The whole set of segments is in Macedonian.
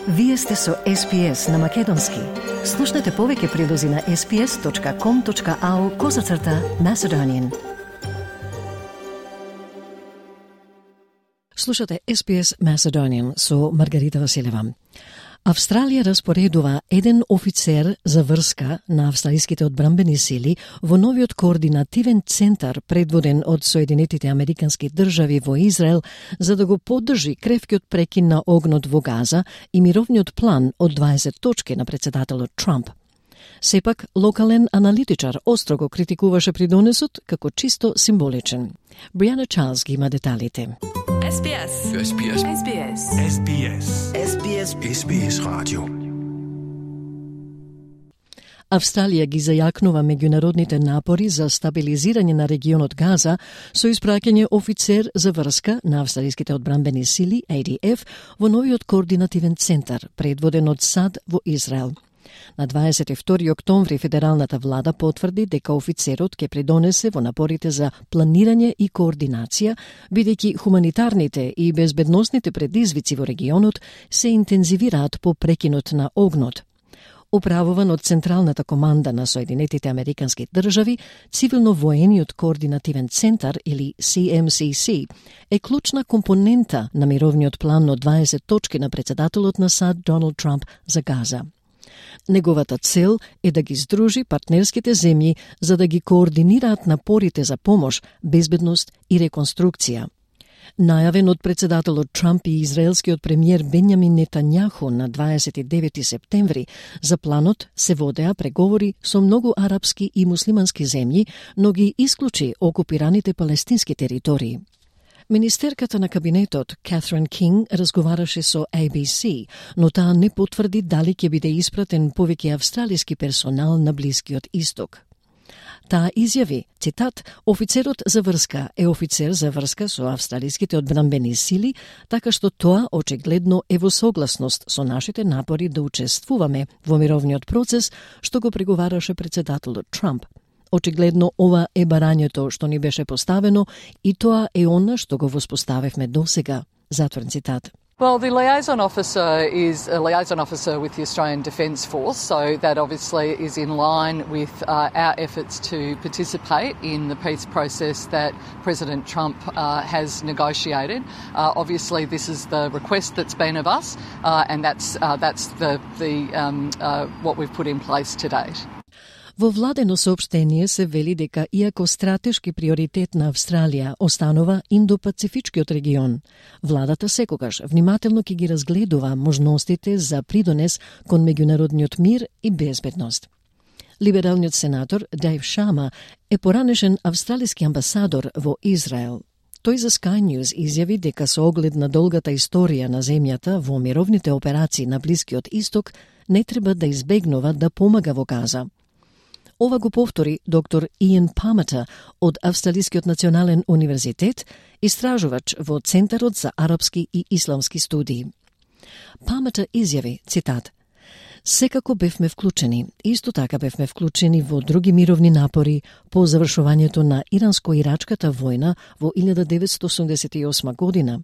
Вие сте со SPS на Македонски. Слушнете повеќе прилози на sps.com.au/Macedonian. Слушате SPS Macedonian со Маргарита Василева. Австралија распоредува еден офицер за врска на австралиските одбранбени сили во новиот координативен центар предводен од Соединетите Американски држави во Израел за да го поддржи кревкиот прекин на огнот во Газа и мировниот план од 20 точки на председателот Трамп. Сепак, локален аналитичар остро го критикуваше придонесот како чисто символичен. Бриана Чарлз ги има деталите. SBS. SBS. SBS. SBS. SBS. SBS Radio. Австралија ги зајакнува меѓународните напори за стабилизирање на регионот Газа со испраќање офицер за врска на австралиските одбранбени сили, ADF, во новиот координативен центар, предводен од САД во Израел. На 22 октомври федералната влада потврди дека офицерот ќе придонесе во напорите за планирање и координација, бидејќи хуманитарните и безбедносните предизвици во регионот се интензивираат по прекинот на огнот. Управуван од Централната команда на Соединетите Американски држави, Цивилно-воениот координативен центар или CMCC е клучна компонента на мировниот план од 20 точки на председателот на САД Доналд Трамп за Газа. Неговата цел е да ги здружи партнерските земји за да ги координираат напорите за помош, безбедност и реконструкција. Најавен од председателот Трамп и израелскиот премиер Бенјамин Нетањаху на 29 септември, за планот се водеа преговори со многу арапски и муслимански земји, но ги исклучи окупираните палестински територии. Министерката на кабинетот Катрин Кинг разговараше со ABC, но таа не потврди дали ќе биде испратен повеќе австралиски персонал на Блискиот Исток. Таа изјави, цитат, офицерот за врска е офицер за врска со австралиските одбранбени сили, така што тоа очигледно е во согласност со нашите напори да учествуваме во мировниот процес, што го преговараше председателот Трамп. Очигледно ова е барањето што ни беше поставено и тоа е она што го воспоставивме досега. Затворен цитат. Well, the liaison officer is a liaison officer with the Australian Defence Force, so that obviously is in line with our efforts to participate in the peace process that President Trump has negotiated. Obviously, this is the request that's been of us, and that's what we've put in place to date. Во владено соопштение се вели дека иако стратешки приоритет на Австралија останува Индо-Пацифичкиот регион, владата секогаш внимателно ќе ги разгледува можностите за придонес кон меѓународниот мир и безбедност. Либералниот сенатор Дейв Шама е поранешен австралиски амбасадор во Израел. Тој за Sky News изјави дека со оглед на долгата историја на земјата во мировните операции на Блискиот Исток не треба да избегнува да помага во Газа. Ова го повтори доктор Иан Памета од Австралискиот национален универзитет, истражувач во Центарот за арапски и исламски студии. Памета изјави, цитат, секако бевме вклучени, исто така бевме вклучени во други мировни напори по завршувањето на Иранско-ирачката војна во 1988 година.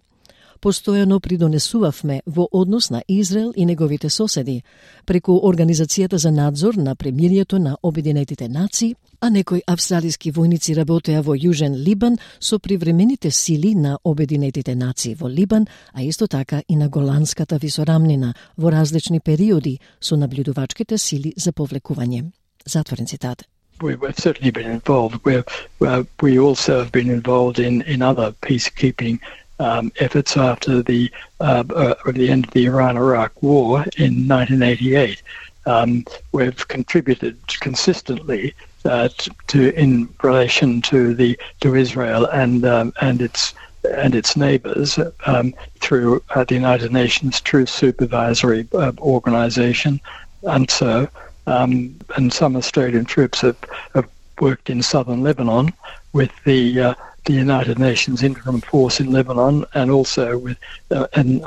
Постојано придонесувавме во однос на Израел и неговите соседи, преку Организацијата за надзор на премирието на Обединетите нации, а некои австралиски војници работеа во Јужен Либан со привремените сили на Обединетите нации во Либан, а исто така и на Голанската висорамнина во различни периоди со наблюдувачките сили за повлекување. Затворен цитат. We've certainly been involved. We also have been involved in other peacekeeping efforts after the end of the Iran-Iraq War in 1988. We've contributed consistently in relation to Israel and its neighbours through the United Nations Truth Supervisory Organisation, and so and some Australian troops have worked in southern Lebanon with the United Nations Interim Force in Lebanon, and also with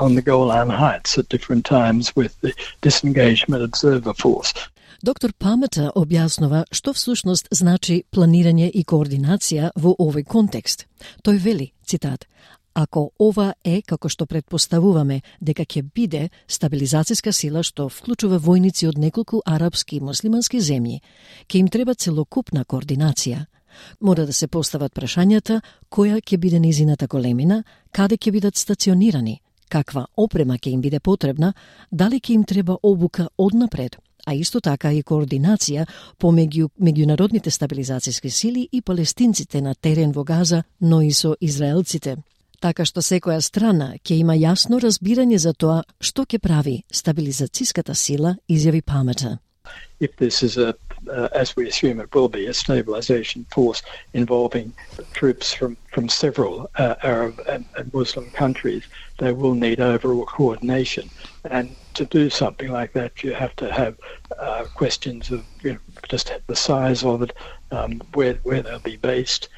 on the Golan Heights at different times with the Disengagement Observer Force. Доктор Памета објаснува што всушност значи планирање и координација во овој контекст. Тој вели, цитат, Ако ова е, како што предпоставуваме, дека ќе биде стабилизацијска сила што вклучува војници од неколку арапски и муслимански земји, ќе им треба целокупна координација. Мора да се постават прашањата која ќе биде незината големина, каде ќе бидат стационирани, каква опрема ќе им биде потребна, дали ќе им треба обука однапред, а исто така и координација помеѓу меѓународните стабилизацијски сили и палестинците на терен во Газа, но и со израелците. Така што секоја страна ќе има јасно разбирање за тоа што ќе прави стабилизацијската сила, изјави Парментер. If this is as we assume it will be, a stabilization force involving troops from several Arab and Muslim countries, they will need overall coordination. And to do something like that, you have to have questions of just the size of it, where they'll be based,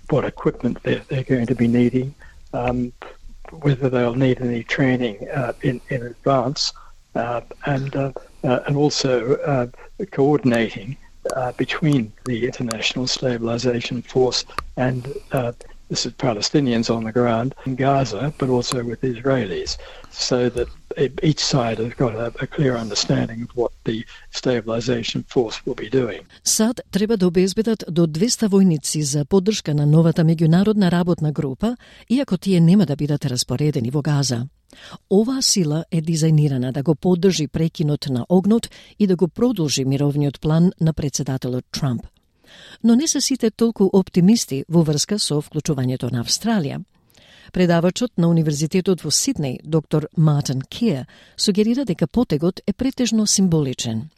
what equipment they're going to be needing, whether they'll need any training in advance, and also coordinating between the International Stabilization Force and this is Palestinians on the ground in Gaza, but also with Israelis, so that each side has got a clear understanding of what the stabilization force will be doing. САД треба да обезбедат до 200 војници за поддршка на новата меѓународна работна група, иако тие нема да бидат распоредени во Газа. Оваа сила е дизајнирана да го поддржи прекинот на огнот и да го продолжи мировниот план на председателот Трамп. Но не се сите толку оптимисти во врска со вклучувањето на Австралија. Предавачот на Универзитетот во Сиднеј, доктор Мартин Кеер, сугерира дека потегот е претежно символичен.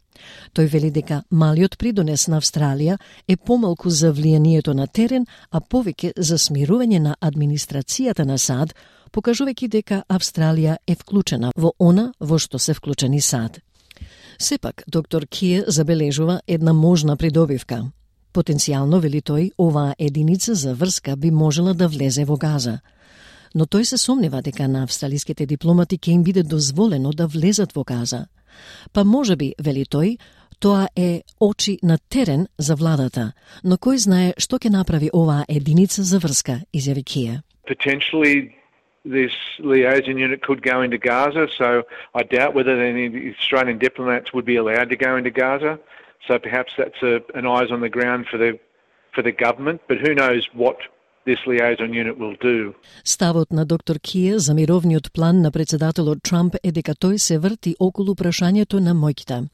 Тој вели дека малиот придонес на Австралија е помалку за влијанието на терен, а повеќе за смирување на администрацијата на САД, покажувајќи дека Австралија е вклучена во она во што се вклучени САД. Сепак, доктор Кеер забележува една можна придобивка. Потенцијално, вели тој, оваа единица за врска би можела да влезе во Газа. Но тој се сомнева дека на австралиските дипломати ќе им биде дозволено да влезат во Газа. Па можеби, вели тој, тоа е очи на терен за владата, но кој знае што ќе направи оваа единица за врска, изјави Кеер. Potentially this liaison unit could go into Gaza, so I doubt whether any Australian diplomats would be allowed to go into Gaza. So perhaps that's an eyes on the ground for the government, but who knows what this liaison unit will do. Ставот на доктор Кеер за мировниот план на председателот Трамп е дека тој се врти околу прашањето на моќта.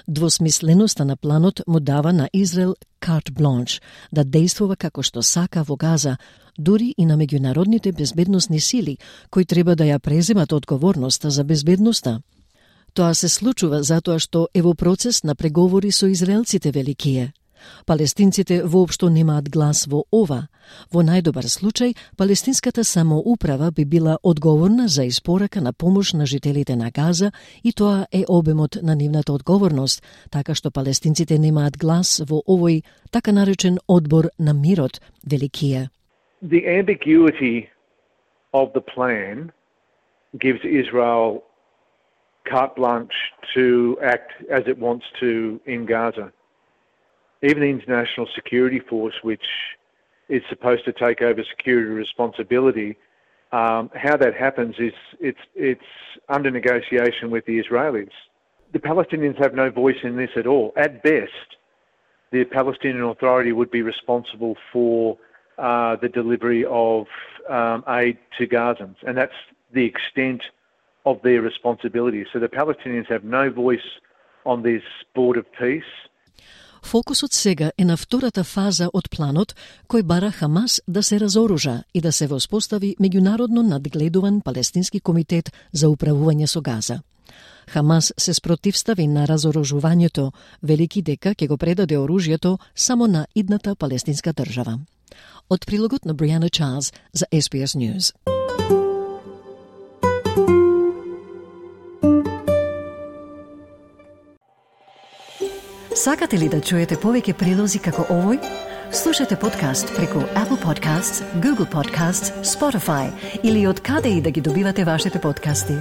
Двосмисленоста на планот му дава на Израел карт бланш да действува како што сака во Газа, дури и на меѓународните безбедносни сили, кои треба да ја преземат одговорноста за безбедноста. Тоа се случува затоа што е во процес на преговори со израелците, вели Кеер. Палестинците воопшто немаат глас во ова. Во најдобар случај, палестинската самоуправа би била одговорна за испорака на помош на жителите на Газа и тоа е обемот на нивната одговорност, така што палестинците немаат глас во овој така наречен одбор на мирот, вели Кеер. The ambiguity of the plan gives Israel carte blanche to act as it wants to in Gaza. Even the International Security Force, which is supposed to take over security responsibility, how that happens is it's under negotiation with the Israelis. The Palestinians have no voice in this at all. At best, the Palestinian Authority would be responsible for the delivery of aid to Gazans, and that's the extent of their responsibility. So the Palestinians have no voice on this board of peace. Фокусот сега е на втората фаза од планот, кој бара Хамас да се разоружа и да се воспостави меѓународно надгледуван палестински комитет за управување со Газа. Хамас се спротивстави на разоружувањето, велики дека ќе го предаде оружјето само на идната палестинска држава. Од прилогот на Бриана Чарлз за SBS News. Сакате ли да чуете повеќе прилози како овој? Слушате подкаст преку Apple Podcasts, Google Podcasts, Spotify или од каде и да ги добивате вашите подкасти.